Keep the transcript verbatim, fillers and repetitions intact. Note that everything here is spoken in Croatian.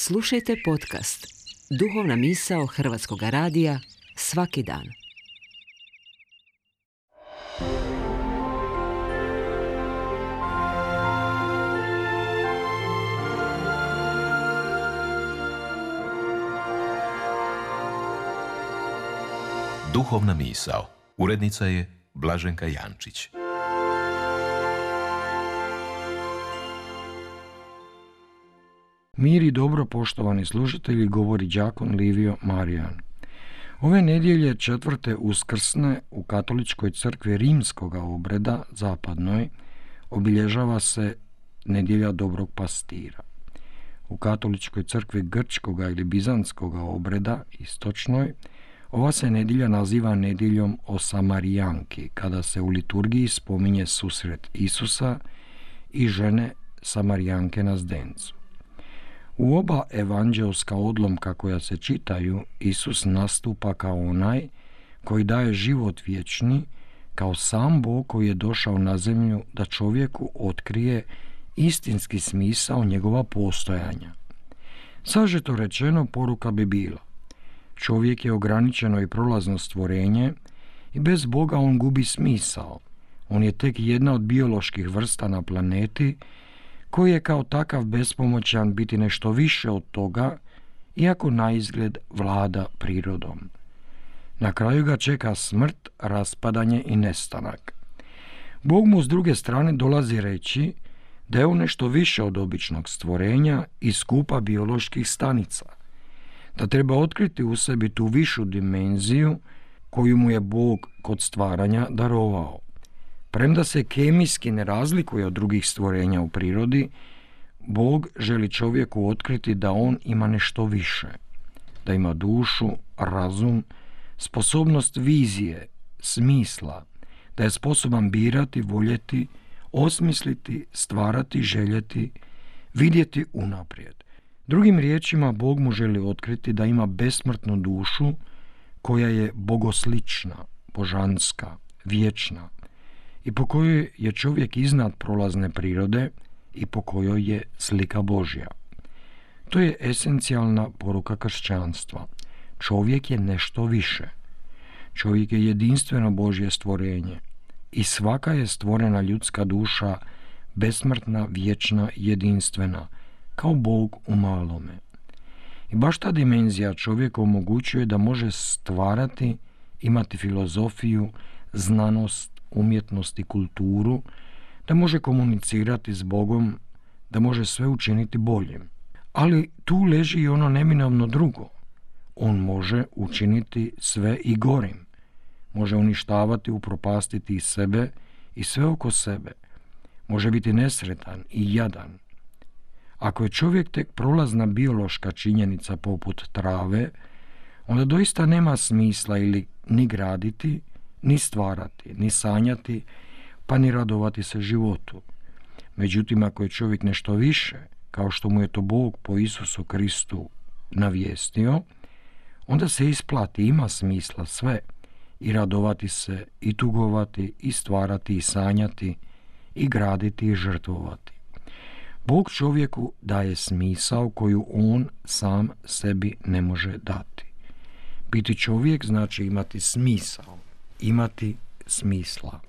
Slušajte podcast Duhovna misao Hrvatskog radija svaki dan. Duhovna misao. Urednica je Blaženka Jančić. Mir i dobro, poštovani slušatelji, govori đakon Livio Marijan. Ove nedjelje četvrte uskrsne u katoličkoj crkvi rimskoga obreda, zapadnoj, obilježava se nedjelja dobrog pastira. U katoličkoj crkvi grčkoga ili bizantskoga obreda, istočnoj, ova se nedjelja naziva nedjeljom o Samarijanki, kada se u liturgiji spominje susret Isusa i žene Samarijanke na zdencu. U oba evanđelska odlomka koja se čitaju, Isus nastupa kao onaj koji daje život vječni, kao sam Bog koji je došao na zemlju da čovjeku otkrije istinski smisao njegova postojanja. Sažeto rečeno, poruka bi bila: čovjek je ograničeno i prolazno stvorenje i bez Boga on gubi smisao. On je tek jedna od bioloških vrsta na planeti koji je kao takav bespomoćan biti nešto više od toga, iako naizgled vlada prirodom. Na kraju ga čeka smrt, raspadanje i nestanak. Bog mu s druge strane dolazi reći da je on nešto više od običnog stvorenja i skupa bioloških stanica, da treba otkriti u sebi tu višu dimenziju koju mu je Bog kod stvaranja darovao. Premda se kemijski ne razlikuje od drugih stvorenja u prirodi, Bog želi čovjeku otkriti da on ima nešto više, da ima dušu, razum, sposobnost vizije, smisla, da je sposoban birati, voljeti, osmisliti, stvarati, željeti, vidjeti unaprijed. Drugim riječima, Bog mu želi otkriti da ima besmrtnu dušu koja je bogoslična, božanska, vječna i po kojoj je čovjek iznad prolazne prirode i po kojoj je slika Božja. To je esencijalna poruka kršćanstva. Čovjek je nešto više. Čovjek je jedinstveno Božje stvorenje i svaka je stvorena ljudska duša besmrtna, vječna, jedinstvena, kao Bog u malome. I baš ta dimenzija čovjeku omogućuje da može stvarati, imati filozofiju, znanost, umjetnost i kulturu, da može komunicirati s Bogom, da može sve učiniti boljim. Ali tu leži i ono neminovno drugo. On može učiniti sve i gorim. Može uništavati, upropastiti i sebe i sve oko sebe. Može biti nesretan i jadan. Ako je čovjek tek prolazna biološka činjenica poput trave, onda doista nema smisla ili ni graditi, ni stvarati, ni sanjati, pa ni radovati se životu. Međutim, ako je čovjek nešto više, kao što mu je to Bog po Isusu Kristu navijestio, onda se isplati, ima smisla sve, i radovati se, i tugovati, i stvarati, i sanjati, i graditi, i žrtvovati. Bog čovjeku daje smisao koju on sam sebi ne može dati. Biti čovjek znači imati smisao, imati smisla.